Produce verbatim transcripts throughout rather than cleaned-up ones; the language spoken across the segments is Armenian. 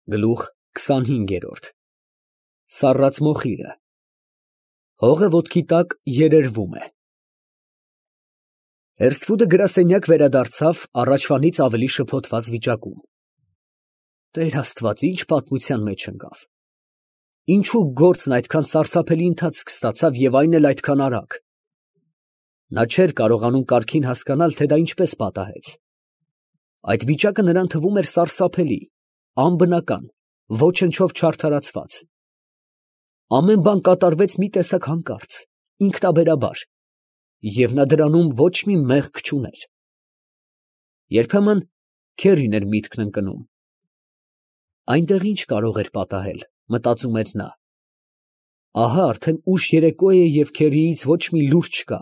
Գլուխ քսանհինգերորդ Սառած մոխիրը հողը ոտքի տակ երերվում է։ Հերսֆուդը գրասենյակ վերադարձավ առաջվանից ավելի շփոթված վիճակում։ Տեր Աստված, ինչ պատմության մեջ ընկավ։ Ինչու գործն այդքան սարսափելի ընթացք ստացավ և այն էլ այդքան արագ։ Նա չէր կարողանում կարգին հասկանալ, թե դա ինչպես պատահեց։ Այդ վիճակը նրան թվում էր սարսափելի, անբնական, ոչնչով չարդարացված։ Ամեն բան կատարվեց մի տեսակ հանկարծ, ինքնաբերաբար, և նա դրանում ոչ մի մեղք չուներ։ Երբեմն քերին էր միտքն ընկնում։ Այնտեղ ինչ կարող էր պատահել, մտածում էր նա։ Ահա արդեն ուշ երեկո է և քերիից ոչ մի լուր չկա,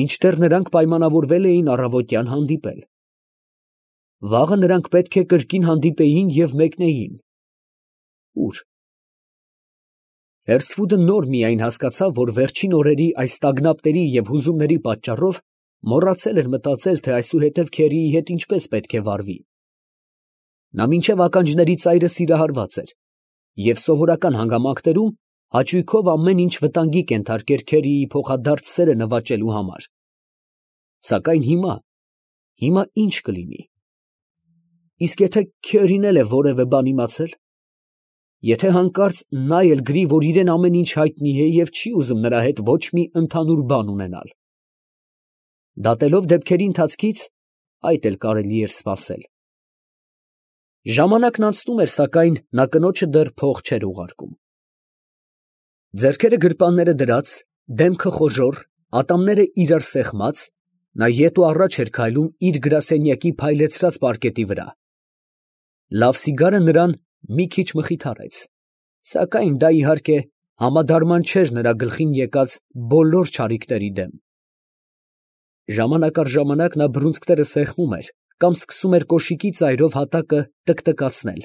մինչդեռ նրանք պայմանավորվել էին առավոտյան հանդիպել։ Վաղը նրանք պետք է կրկին հանդիպեին և մեկնեին։ Ո՞ւր։ Հերսֆուդը նոր միայն հասկացավ, որ վերջին օրերի այս տագնապների և հուզումների պատճառով մոռացել էր մտածել, թե այսուհետև քերիի հետ ինչպես պետք է վարվի։ Նա մինչև ականջների ծայրը սիրահարված էր և սովորական հանգամանքներում հաճույքով ամեն ինչ վտանգի կենթարկեր քերիի փոխադարձ սերը նվաճելու համար։ Սակայն հիմա, հիմա ի՞նչ կլինի։ Իսկ եթե քերին էլ է որևէ բան իմացել, եթե հանկարծ նա էլ գրի, որ իրան ամեն ինչ հայտնի է և չի ուզում նրա հետ ոչ մի ընդհանուր բան ունենալ։ Դատելով դեպքերի ընթացքից, այդ էլ կարելի էր սպասել։ Ժամանակն անցնում էր, սակայն նա կնոջը դեռ փող չէր ուղարկում։ Ձեռքերը գրպանները դրած, դեմքը խոժոռ, ատամները իրար սեղմած, նա ետ ու առաջ էր քայլում իր գրասենյակի փայլեցրած պարկետի վրա։ Լավ սիգարը նրան մի քիչ մխիթարեց, սակայն դա, իհարկե, համադարման չէր նրա գլխին եկած բոլոր չարիքների դեմ։ Ժամանակ առ ժամանակ նա բռունցքները սեղմում էր կամ սկսում էր կոշիկի ծայրով հատակը տկտկացնել,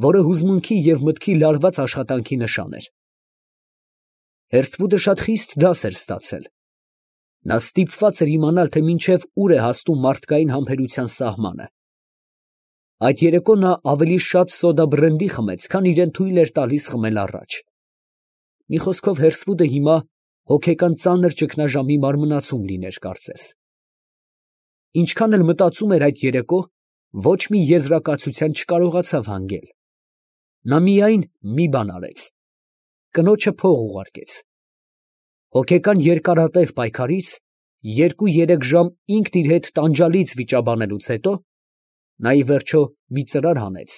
որը հուզմունքի և մտքի լարված աշխատանքի նշան էր։ Հերսֆուդը շատ խիստ դաս էր ստացել։ Նա ստիպված էր իմանալ, թե մինչև ուր է հասնում մարդկային համբերության սահմանը։ Այդ երեկո նա ավելի շատ սոդա բրենդի խմեց, քան իրան թույլ էր տալիս խմել առաջ։ Մի խոսքով, Հերսֆուդը հիմա հոգեկան ծանր ճգնաժամի մարմնացում լիներ կարծես։ Ինչքան էլ մտածում էր այդ երեկո, ոչ մի եզրակացության չկարողացավ հանգել։ Նա միայն մի բան արեց. կնոջը փող ուղարկեց։ Հոգեկան երկարատև պայքարից, երկու֊երեք ժամ ինքն իր հետ տանջալից վիճաբանելուց հետո, նա ի վերջո մի ծրար հանեց,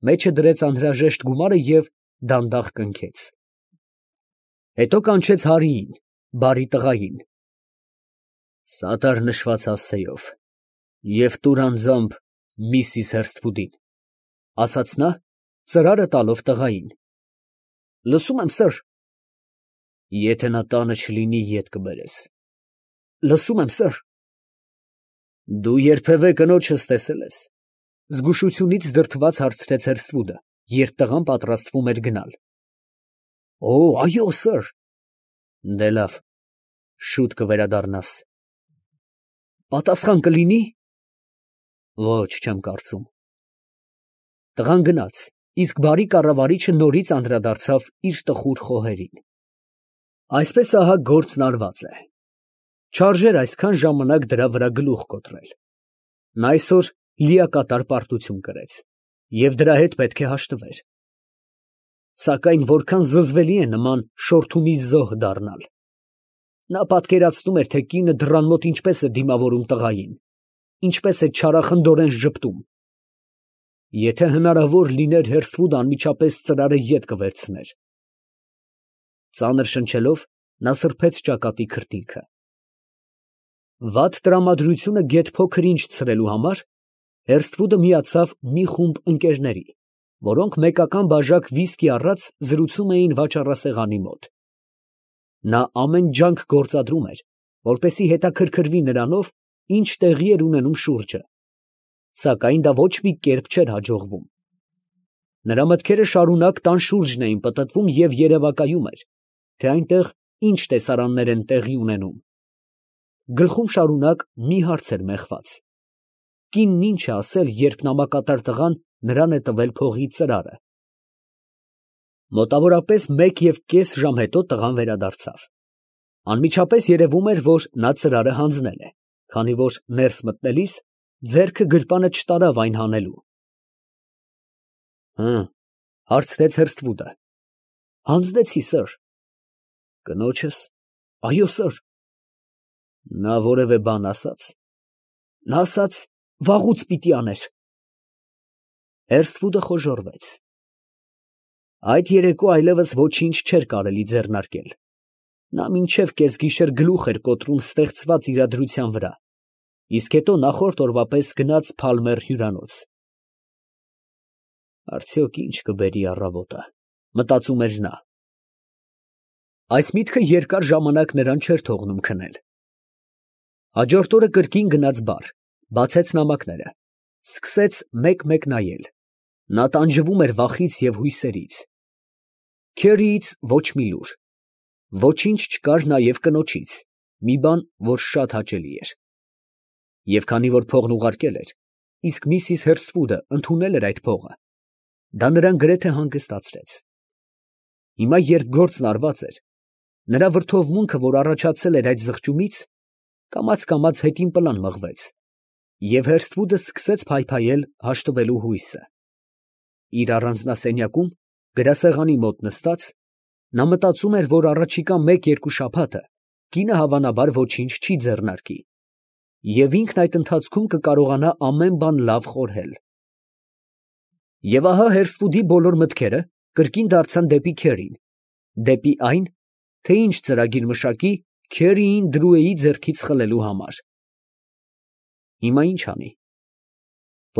մեջը դրեց անհրաժեշտ գումարը և դանդաղ կնքեց։ Հետո կանչեց Հարիին, բարի տղային. «Սատար նշված հասցեով և տուր անձամբ միսիս Հերսթվուդին», ֊ ասաց նա, ծրարը տալով տղային։ ֊ Լսում եմ, սըր։ ֊ Եթե նա տանը չլինի, ետ կբերես։ ֊ Լսում եմ, սըր։ ֊ Դու երբևէ կնոջս տեսե՞լ ես, ֊ զգուշությունից դրդված հարցրեց Հերսթվուդը, երբ տղան պատրաստվում էր գնալ։ ֊ Օ՛, այո, սըր։ ֊ Դե լավ, շուտ կվերադառնաս։ ֊ Պատասխան կլինի։ ֊ Ոչ, չեմ կարծում։ Տղան գնաց, իսկ բարի կառավարիչը նորից անդրադարձավ իր տխուր խոհերին։ Այսպես ահա գործն արված է։ Չարժեր այսքան ժամանակ դրա վրա գլուխ կոտրել։ Նա այսօր լիակատար պարտություն կրեց, և դրա հետ պետք է հաշտվեր։ Սակայն որքան զզվելի է նման շորթումի զոհ դառնալ։ Նա պատկերացնում էր, թե կինը դռան մոտ ինչպես է դիմավորում տղային, ինչպես է չարախնդորեն ժպտում։ Եթե հնարավոր լիներ, Հերսթվուդը անմիջապես ծրարը ետ կվերցներ։ Ծանր շնչելով, նա սրբեց ճակատի քրտինքը։ Վատ տրամադրությունը գեթ փոքր ինչ ցրելու համար, Հերսթվուդը միացավ մի խումբ ընկերների, որոնք մեկական բաժակ վիսկի առած զրուցում էին վաճառասեղանի մոտ։ Նա ամեն ջանք գործադրում էր, որպեսզի հետաքրքրվի նրանով, ինչ տեղի էր ունենում շուրջը, սակայն դա ոչ մի կերպ չէր հաջողվում։ Նրա մտքերը շարունակ տան շուրջն էին պտտվում և երևակայում էր, թե այնտեղ ինչ տեսարաններ են տեղի ունենում։ Գլխում շարունակ մի հարց էր մեխված. կինն ինչ է ասել, երբ նամակատար տղան նրան է տվել փողի ծրարը։ Մոտավորապես մեկ և կես ժամ հետո տղան վերադարձավ։ Անմիջապես երևում էր, որ նա ծրարը հանձնել է, քանի որ ներս մտնելիս ձեռքը գրպանը չտարավ այն հանելու։ ֊ Հը, ֊ հարցրեց Հերսթվուդը։ ֊ Հանձնեցի, սըր։ ֊ Կնոջս։ ֊ Այո, սըր։ ֊ Նա որևէ բան ասա՞ց։ ֊ Նա ասաց. «Վաղուց պիտի աներ»։ Հերսթվուդը խոժոռվեց։ Այդ երեկո այլևս ոչինչ չէր կարելի ձեռնարկել. նա մինչև կեսգիշեր գլուխ էր կոտրում ստեղծված իրադրության վրա, իսկ հետո նախորդ օրվա պես գնաց Փալմեր հյուրանոց։ Արդյոք ինչ կբերի առավոտը, մտածում էր նա։ Այս միտքը երկար ժամանակ նրան չէր թողնում քնել։ Հաջորդ օրը կրկին գնաց բար, բացեց նամակները, սկսեց մեկ֊մեկ նայել։ Նա տանջվում էր վախից և հույսերից։ Քերիից ոչ մի լուր։ Ոչինչ չկար նաև կնոջից, մի բան, որ շատ հաճելի էր։ Եվ քանի որ փողն ուղարկել էր, իսկ միսիս Հերսթվուդը ընդունել էր այդ փողը, դա նրան գրեթե հանգստացրեց։ Հիմա, երբ գործն արված էր, նրա վրդովմունքը, որ առաջացել էր այդ զղջումից, կամաց֊կամաց հետին պլան մղվեց, և Հերսթվուդը սկսեց փայփայել հաշտվելու հույսը։ Իր առանձնասենյակում, գրասեղանի մոտ նստած, նա մտածում էր, որ առաջիկա մեկ֊երկու շաբաթը կինը հավանաբար ոչինչ չի ձեռնարկի, և ինքն այդ ընթացքում կկարողանա ամեն բան լավ խորհել։ Եվ ահա Հերսթվուդի բոլոր մտքերը կրկին դարձան դեպի Քերին, դեպի այն, թե ինչ ծրագիր մշակի Քերիին Դրուեի ձեռքից խլելու համար։ Հիմա ի՞նչ անի։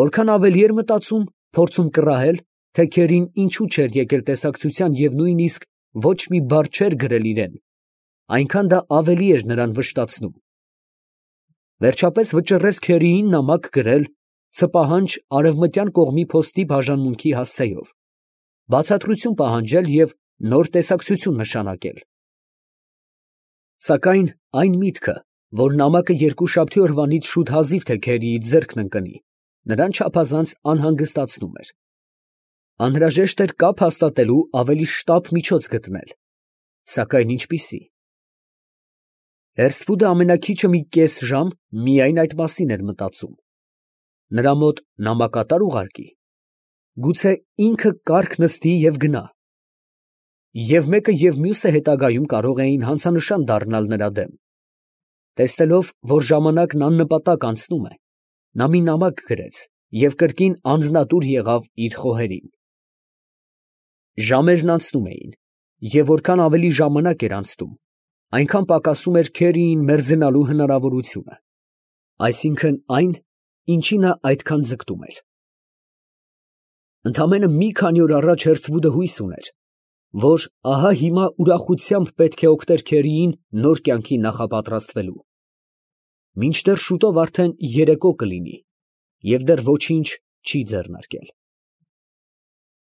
Որքան ավելի էր մտածում, փորձում կռահել, թե Քերին ինչու չէր եկել տեսակցության և նույնիսկ ոչ մի բառ չէր գրել իրան, այնքան դա ավելի էր նրան վշտացնում։ Վերջապես վճռեց Քերիին նամակ գրել ցպահանջ արևմտյան կողմի փոստի բաժանմունքի հասցեով, բացատրություն պահանջել և նոր տեսակցություն նշանակել։ Սակայն այն միտքը, որ նամակը երկուշաբթի օրվանից շուտ հազիվ թե Քերիի ձեռքն ընկնի, նրան չափազանց անհանգստացնում էր։ Անհրաժեշտ էր կապ հաստատելու ավելի շտապ միջոց գտնել, սակայն ինչպիսի։ Հերսթվուդը ամենաքիչը մի կես ժամ միայն այդ մասին էր մտածում։ Նրա մոտ նամակատա՞ր ուղարկի։ Գուցե ինքը կառք նստի և գնա։ Եվ մեկը և մյուսը հետագայում կարող էին հանցանշան դառնալ նրա դեմ։ Տեսնելով, որ ժամանակն աննպատակ անցնում է, նա մի նամակ գրեց և կրկին անձնատուր եղավ իր խոհերին։ Ժամերն անցնում էին, և որքան ավելի ժամանակ էր անցնում, այնքան պակասում էր Քերիին մերձենալու հնարավորությունը, այսինքն այն, ինչի նա այդքան ձգտում էր։ Ընդամենը մի քանի օր առաջ Հերսթվուդը հույս ուներ, որ ահա հիմա ուրախությամբ պետք է օգներ Քերիին նոր կյանքի նախապատրաստվելու։ Մինչդեռ շուտով արդեն երեկո կլինի, և դեռ ոչինչ չի ձեռնարկել։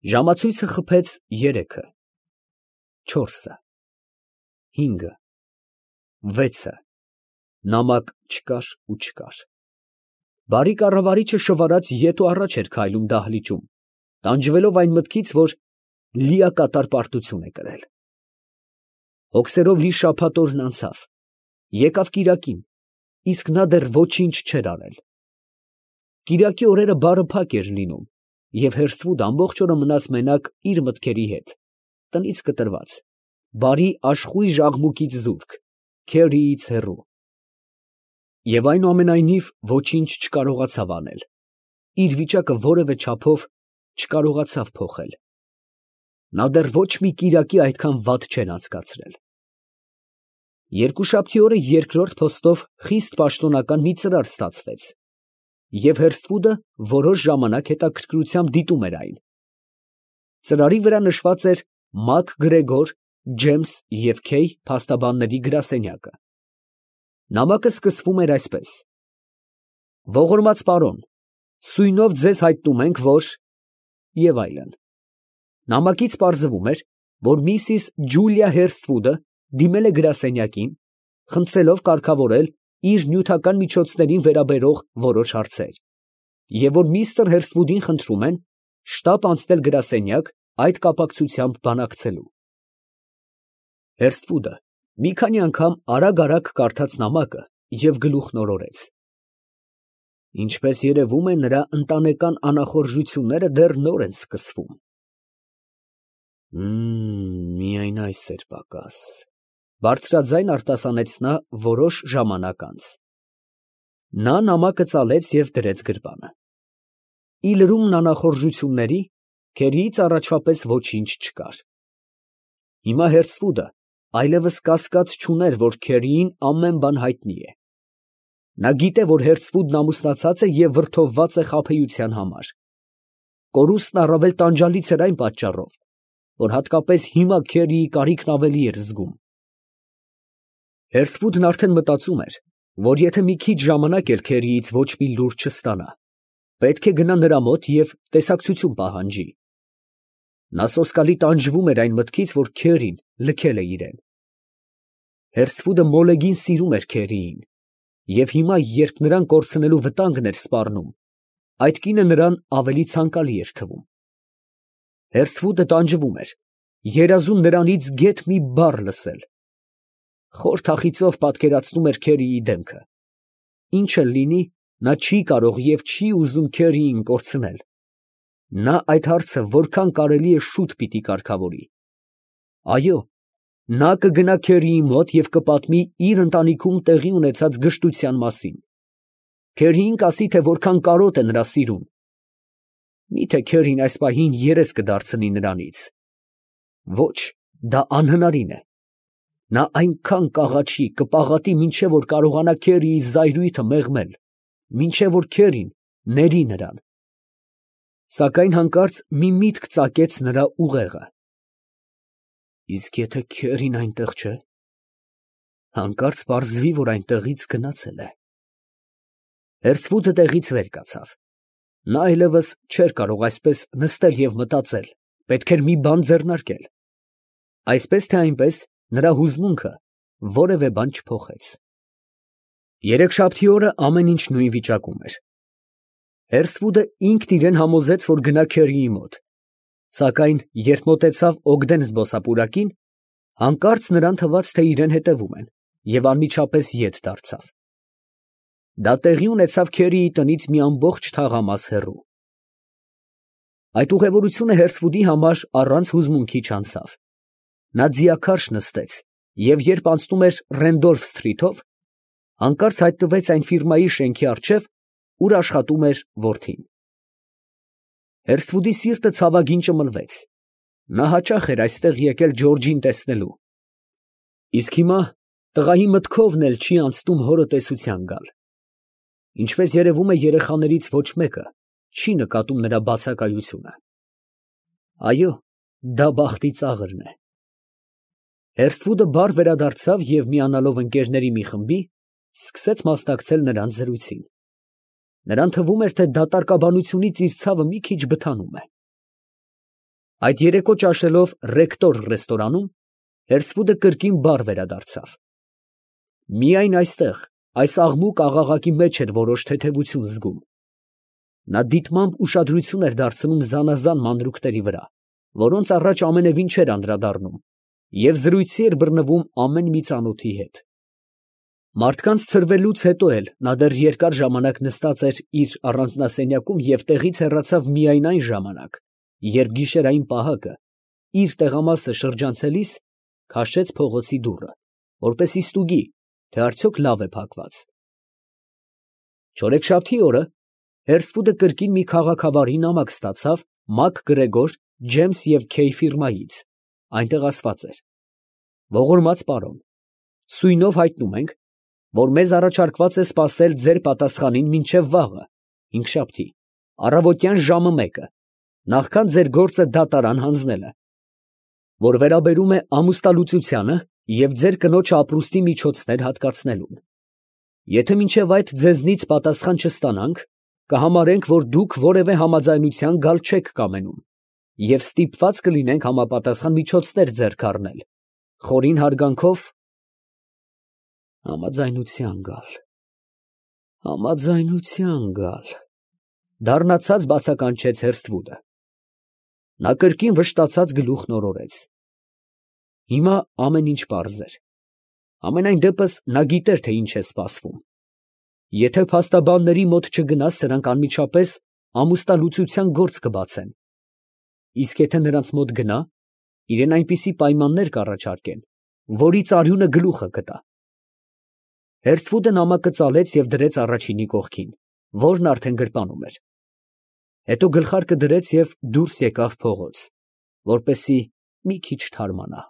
Ժամացույցը խփեց երեքը, չորսը, հինգը, վեցը, նամակ չկար ու չկար։ Բարի կառավարիչը շվարած ետ ու առաջ էր քայլում դահլիճում, տանջվելով այն մտքից, որ լիակատար պարտություն է կրել։ Հոգսերով լի շաբաթ օրն անցավ, եկավ կիրակին, իսկ նա դեռ ոչինչ չէր արել։ Կիրակի օրերը բարը փակ էր լինում, և Հերսթվուդը ամբողջ օրը մնաց մենակ իր մտքերի հետ, տնից կտրված, բարի աշխույժ աղմուկից զուրկ, Քերիից հեռու։ Եվ այնուամենայնիվ ոչինչ չկարողացավ անել, իր վիճակը որևէ չափով չկարողացավ փոխել։ Նա դեռ ոչ մի կիրակի այդքան վատ չէր անցկացրել։ Երկուշաբթի օրը երկրորդ փոստով խիստ պաշտոնական մի ծրար ստացվեց, և Հերսթվուդը որոշ ժամանակ հետաքրքրությամբ դիտում էր այն։ Ծրարի վրա նշված էր Մակ Գրեգոր, Ջեյմս և Քեյ փաստաբանների գրասենյակը։ Նամակը սկսվում էր այսպես. «Ողորմած պարոն, սույնով ձեզ հայտնում ենք, որ…» և այլն։ Նամակից պարզվում էր, որ միսիս Ջուլիա Հերսթվուդը դիմել է գրասենյակին, խնդրելով կարգավորել իր նյութական միջոցներին վերաբերող որոշ հարցեր, և որ միստր Հերսթվուդին խնդրում են շտապ անցնել գրասենյակ այդ կապակցությամբ բանակցելու։ Հերսթվուդը մի քանի անգամ արագ֊արագ կարդաց նամակը և գլուխն օրորեց։ Ինչպես երևում է, նրա ընտանեկան անախորժությունները դեռ նոր են սկսվում։ Մմ, միայն այս էր պակաս, բարձրաձայն արտասանեց նա որոշ ժամանակ անց։ Նա նամակը ծալեց և դրեց գրպանը։ Ի լրումն անախորժությունների, քերիից առաջվա պես ոչինչ չկար։ Հիմա Հերսթվուդը այլևս կասկած չուներ, որ քերիին ամեն բան հայտնի է։ Նա գիտե, որ Հերսթվուդն ամուսնացած է և վրդովված է խաբեության համար։ Կորուստն առավել տանջալից էր այն պատճառով, որ հատկապես հիմա քերիի կարիքն ավելի էր զգում։ Հերսթվուդն արդեն մտածում էր, որ եթե մի քիչ ժամանակ էլ քերիից ոչ մի լուր չստանա, պետք է գնա նրա մոտ և տեսակցություն պահանջի։ Նա սոսկալի տանջվում էր այն մտքից, որ քերին լքել է իրեն։ Հերսթվուդը մոլեգին սիրում էր քերիին, և հիմա, երբ նրան կորցնելու վտանգն էր սպառնում, այդ կինը նրան ավելի ցանկալի էր թվում։ Հերսթվուդը տանջվում էր, երազում նրանից գեթ մի բառ լսել։ Խոր թախիծով պատկերացնում էր քերիի դեմքը։ Ինչ էլ լինի, նա չի կարող և չի ուզում քերիին կորցնել։ Նա այդ հարցը որքան կարելի է շուտ պիտի կարգավորի։ Այո, նա կգնա քերիի մոտ և կպատմի իր ընտանիքում տեղի ունեցած գժտության մասին։ Քերիին կասի, թե որքան կարոտ է նրա սիրուն։ Միթե քերին այս պահին երես կդարձնի նրանից։ Ոչ, դա անհնարին է։ Նա այնքան կաղաչի, կպաղատի, մինչև որ կարողանա քերիի զայրույթը մեղմել, մինչև որ քերին ների նրան։ Սակայն հանկարծ մի միտք ծակեց նրա ուղեղը։ Իսկ եթե քերին այնտեղ չէ, հանկարծ պարզվի, որ այնտեղից գնացել է։ Հերսթվուդը տեղից վեր կացավ։ Նա այլևս չէր կարող այսպես նստել և մտածել, պետք էր մի բան ձեռնարկել։ Այսպես թե այնպես, նրա հուզմունքը որևէ բան չփոխեց։ Երեքշաբթի օրը ամեն ինչ նույն վիճակում էր։ Հերսթվուդը ինքն իրեն համոզեց, որ գնա քերիի մոտ, սակայն երբ մոտեցավ Օգդեն զբոսապուրակին, հանկարծ նրան թվաց, թե իրեն հետևում են, և անմիջապես ետ դարձավ։ Դա տեղի ունեցավ քերիի տնից մի ամբողջ թաղամաս հեռու։ Այդ ուղևորությունը Հերսթվուդի համար առանց հուզմունքի չանցավ։ Նա ձիաքարշ նստեց և երբ անցնում էր Ռենդոլֆ սթրիթով, հանկարծ հայտնվեց այն ֆիրմայի շենքի առջև, ուր աշխատում էր որդին։ Հերսթվուդի սիրտը ցավագին ճմլվեց։ Նա հաճախ էր այստեղ եկել Ջորջին տեսնելու։ Իսկ հիմա տղայի մտքովն էլ չի անցնում հորը տեսության գալ։ Ինչպես երևում է, երեխաներից ոչ մեկը չի նկատում նրա բացակայությունը։ Այո, դա բախտի ծաղրն է։ Հերսթվուդը բար վերադարձավ և միանալով ընկերների մի խմբի, սկսեց մասնակցել նրանց զրույցին։ Նրան թվում էր, թե դատարկաբանությունից իր ցավը մի քիչ բթանում է։ Այդ երեկո ճաշելով Ռեկտոր ռեստորանում, Հերսթվուդը կրկին բար վերադարձավ։ Միայն այստեղ, այս աղմուկ աղաղակի մեջ էր որոշ թեթևություն զգում։ Նա դիտմամբ ուշադրություն էր դարձնում զանազան մանրուքների վրա, որոնց առաջ ամենևին չէր անդրադառնում, և զրույցի էր բռնվում ամեն մի ծանոթի հետ։ Մարդկանց ցրվելուց հետո էլ նա դեռ երկար ժամանակ նստած էր իր առանձնասենյակում և տեղից հեռացավ միայն այն ժամանակ, երբ գիշերային պահակը, իր տեղամասը շրջանցելիս, քաշեց փողոցի դուռը, որպեսզի ստուգի, թե արդյոք լավ է փակված։ Չորեքշաբթի օրը Հերսթվուդը կրկին մի քաղաքավարի նամակ ստացավ Մակ֊Գրեգոր, Ջեյմս և Քեյ ֆիրմայից։ Այնտեղ ասված էր. ողորմած պարոն, սույնով հայտնում ենք, որ մեզ առաջարկված է սպասել ձեր պատասխանին մինչև վաղը, հինգշաբթի, առավոտյան ժամը մեկը, նախքան ձեր գործը դատարան հանձնելը, որ վերաբերում է ամուսնալուծությանը և ձեր կնոջ ապրուստի միջոցներ հատկացնելուն։ Եթե մինչև այդ ձեզնից պատասխան չստանանք, կհամարենք, որ դուք որևէ համաձայնության գալ չեք կամենում և ստիպված կլինենք համապատասխան միջոցներ ձեռք առնել։ Խորին հարգանքով, համաձայնության գալ, համաձայնության գալ, դառնացած բացականչեց Հերսթվուդը։ Նա կրկին վշտացած գլուխն օրորեց։ Հիմա ամեն ինչ պարզ էր։ Համենայն դեպս նա գիտեր, թե ինչ է սպասվում։ Եթե փաստաբանների մոտ չգնաս, նրանք անմիջապես ամուսնալուծության գործ կբացեն, իսկ եթե նրանց մոտ գնա, իրան այնպիսի պայմաններ կառաջարկեն, որից արյունը գլուխը կտա։ Հերթվուդը նամակը ծալեց և դրեց առաջինի կողքին, որն արդեն գրպանում էր։ Հետո գլխարկը դրեց և դուրս եկավ փողոց, որպեսզի մի քիչ թարմանա։